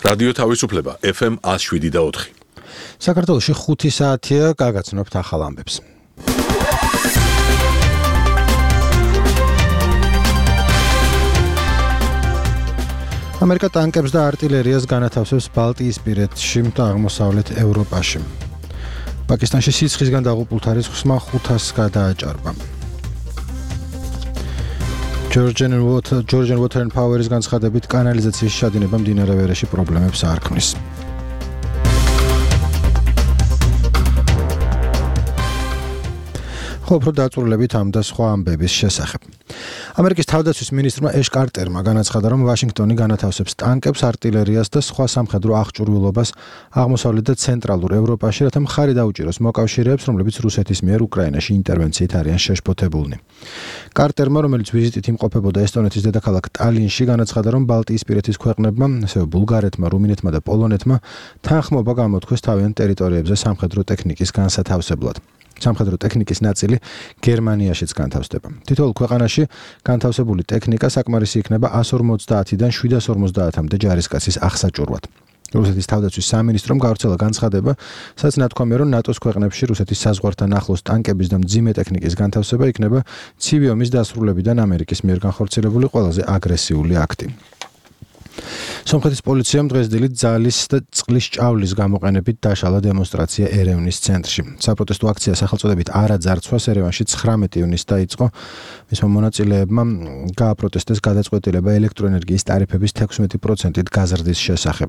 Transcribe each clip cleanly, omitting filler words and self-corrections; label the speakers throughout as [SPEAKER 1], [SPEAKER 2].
[SPEAKER 1] რადიო თავისუფლება FM 107.4.
[SPEAKER 2] საქართველოში 5 საათია, გაგაცნობთ ახალ ამბებს. ამერიკა ტანკებს და არტილერიას განათავსებს ბალტიისპირეთში და აღმოსავლეთ ევროპაში. პაკისტანში სიცხისგან დაღუპულთა რიცხვმა 500-ს გადააჭარბა. Georgian Water and Power-ის განცხადებით კანალიზაციის ჩადინება მდინარე ვერეში პრობლემებს არ ქმნის. უფრო დაწვრილებით ამ და სხვა ამბების შესახებ. ამერიკის თავდაცვის მინისტრმა ეშ კარტერმა განაცხადა, რომ ვაშინგტონი განათავსებს ტანკებს, არტილერიას და სხვა სამხედრო აღჭურვილობას აღმოსავლეთ და ცენტრალურ ევროპაში, რათა მხარი დაუჭიროს მოკავშირეებს, რომლებიც რუსეთის მიერ უკრაინაში ინტერვენციით არიან შეშფოთებულნი. კარტერმა, რომელიც ვიზიტით იმყოფებოდა ესტონეთის დედაქალაქ ტალინში, განაცხადა, რომ ბალტიისპირეთის ქვეყნებმა, ასევე ბულგარეთმა, რუმინეთმა და პოლონეთმა თანხმობა გამოთქვეს თავიანთ ტერიტორიებზე სამხედრო ტექნიკის განსათავსებლად. სამხედრო ტექნიკის ნაწილი გერმანიაშიც განთავსდება. თითოეულ ქვეყანაში განთავსებული ტექნიკა საკმარისი იქნება 150-დან 750-მდე ჯარისკაცის აღსაჭურვად. რუსეთის თავდაცვის სამინისტრომ გავრცელა განცხადება, სადაც ნათქვამია, რომ ნატოს ქვეყნებში რუსეთის საზღვართან ახლოს ტანკების და მძიმე ტექნიკის განთავსება იქნება ცივი ომის დასრულებიდან ამერიკის მიერ განხორციელებული ყველაზე აგრესიული აქტი. სომხეთის პოლიციამ დღეს დილით ძალის და წყლის ჭავლის გამოყენებით დაშალა დემონსტრაცია ერევნის ცენტრში. საპროტესტო აქცია სახელწოდებით არა ძარცვას ერევანში 19 ივნისს დაიწყო. მისმა მონაწილეებმა გააპროტესტეს გადაწყვეტილება ელექტროენერგიის ტარიფების 16%-ით გაზრდის შესახებ.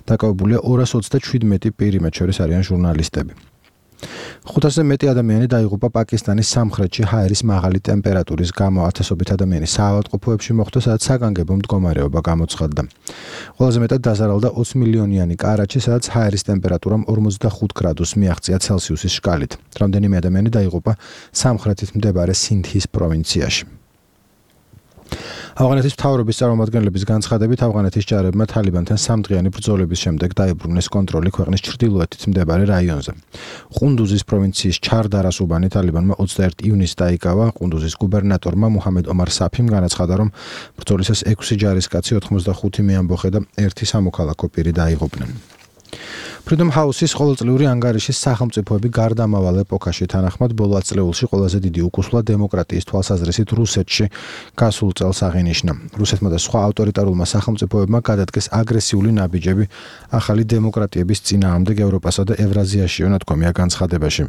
[SPEAKER 2] დაკავებულია 227 პირი, მათ შორის არიან ჟურნალისტები. 500-ზე მეტი ადამიანი დაიღუპა პაკისტანის სამხრეთში ჰაერის მაღალი ტემპერატურის გამო. ათასობით ადამიანი საავადმყოფოებში მოხვდა, სადაც საგანგებო მდგომარეობა გამოცხადდა. ყველაზე მეტად დაზარალდა 20 მილიონიანი კარაჩი, სადაც ჰაერის ტემპერატურამ 45 გრადუსს მიაღწია ცელსიუსის შკალით. რამდენიმე ადამიანი დაიღუპა სამხრეთით მდებარე სინდჰის პროვინციაში. ავღანეთის მთავრობის წარმომადგენლების განცხადებით, ავღანეთის ჯარებმა თალიბანთან სამდღიანი ბრძოლების შემდეგ დაიბრუნეს კონტროლი ქვეყნის ჩრდილოეთით მდებარე რაიონზე. ყუნდუზის პროვინციის ჩარდარას უბანი თალიბანმა 21 ივნისს დაიკავა. ყუნდუზის გუბერნატორმა მუჰამედ ომარ საფიმ განაცხადა, რომ ბრძოლისას 6 ჯარისკაცი, 85 მეამბოხე და 1 სამოქალაქო პირი დაიღუპნენ. Freedom House-ის ყოველწლიური ანგარიშის სახელმწიფოები გარდამავალ ეპოქაში თანახმად ბოლო ათწლეულში ყველაზე დიდი უკუსვლა დემოკრატიის თვალსაზრისით რუსეთში გასულ წელს აღინიშნა. რუსეთმა და სხვა ავტორიტარულმა სახელმწიფოებმა გადადგეს აგრესიული ნაბიჯები ახალი დემოკრატიების წინააღმდეგ ევროპასა და ევრაზიაშიო ნათქვამია განცხადებაში.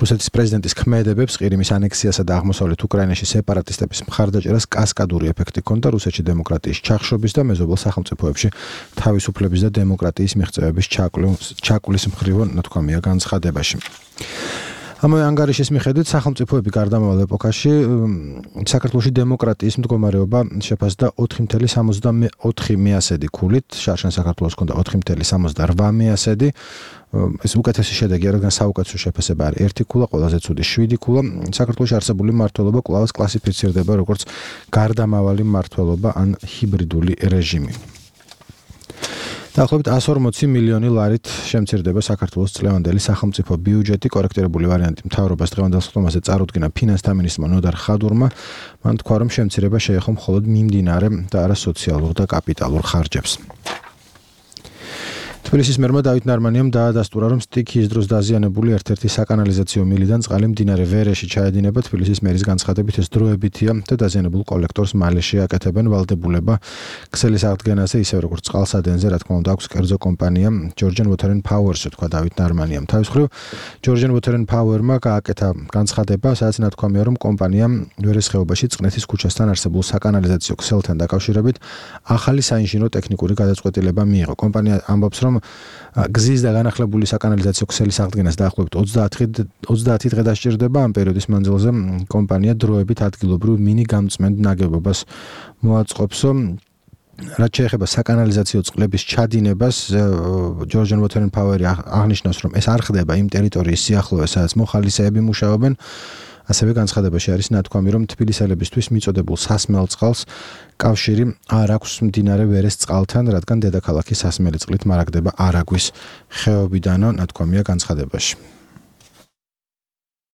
[SPEAKER 2] რუსეთის პრეზიდენტის ქმედებებს ყირიმის ანექსიასა და აღმოსავლეთ უკრაინაში სეპარატისტების მხარდაჭერას კასკადური ეფექტი ჰქონდა რუსეთში დემოკრატიის ჩახშობის და მეზობელ სახელმწიფოებში თავისუფლების და დემოკრატიის მიღწევების ჩაკulis მხრივ ნათქვამია განცხადებაში. ამავე ანგარიშის მიხედვით სახელმწიფოები გარდამავალ ეპოქაში საქართველოში დემოკრატიის მდგომარეობა შეფასდა 4.74 ქულით, შარშან საქართველოს ჰქონდა 4.78. ეს უკეთესი შედეგია, რადგან საუკეთესო შეფასება არის 1 ქულა, ყველაზე ცუდი 7 ქულა. საქართველოში არსებული მმართველობა კვლავ კლასიფიცირდება როგორც გარდამავალი მმართველობა ან ჰიბრიდული რეჟიმი. დაახლოებით 140 მილიონი ლარით შემცირდება საქართველოს წლევანდელი სახელმწიფო ბიუჯეტი. კორექტირებული ვარიანტი მთავრობას დღევანდელ სხდომაზე წარუდგინა ფინანსთა მინისტრმა ნოდარ ხადურმა. მან თქვა, რომ შემცირება შეეხო მხოლოდ მიმდინარე და არა სოციალურ და კაპიტალურ ხარჯებს. თბილისის მერმა დავით ნარმანიამ დაადასტურა, რომ სტიქიის დროს დაზიანებული ერთ-ერთი საკანალიზაციო მილიდან წყალი მდინარე ვერეში ჩაედინება. თბილისის მერის განცხადებით ეს დროებითია და დაზიანებულ კოლექტორს მალე შეაკეთებენ. ვალდებულება ქსელის აღდგენაზე, ისე როგორც წყალსადენზე, რა თქმა უნდა, აქვს კერძო კომპანია Georgian Water and Power-ს, თქვა დავით ნარმანიამ. თავის მხრივ Georgian Water and Power-მა გააკეთა განცხადება, სადაც ნათქვამია, რომ კომპანიამ ვერეს ხეობაში წყნეთის ქუჩასთან არსებულ საკანალიზაციო ქსელთან დაკავშირებით ახალი საინჟინრო ტექნიკური გადაწყვეტილება მიიღო. კომპანია ამბობს, რომ გზის და განახლებული საკანალიზაციო ქსელის აღდგენას დაახლოებით 30 დღე დასჭირდება. ამ პერიოდის მანძილზე კომპანია დროებით ადგილობრივ მინი გამწმენდ ნაგებობას მოაწყობს. რაც შეეხება საკანალიზაციო წყლების ჩადინებას, Georgian Water and Power-ი აღნიშნავს, რომ ეს არ ხდება იმ ტერიტორიის სიახლოვეს, სადაც მოხალისეები მუშაობენ. ასევე განცხადებაში არის ნათქვამი, რომ თბილისელებისთვის მიწოდებულ სასმელ წყალს კავშირი არ აქვს მდინარე ვერეს წყალთან, რადგან დედაქალაქი სასმელი წყლით მარაგდება არაგვის ხეობიდანო, ნათქვამია განცხადებაში.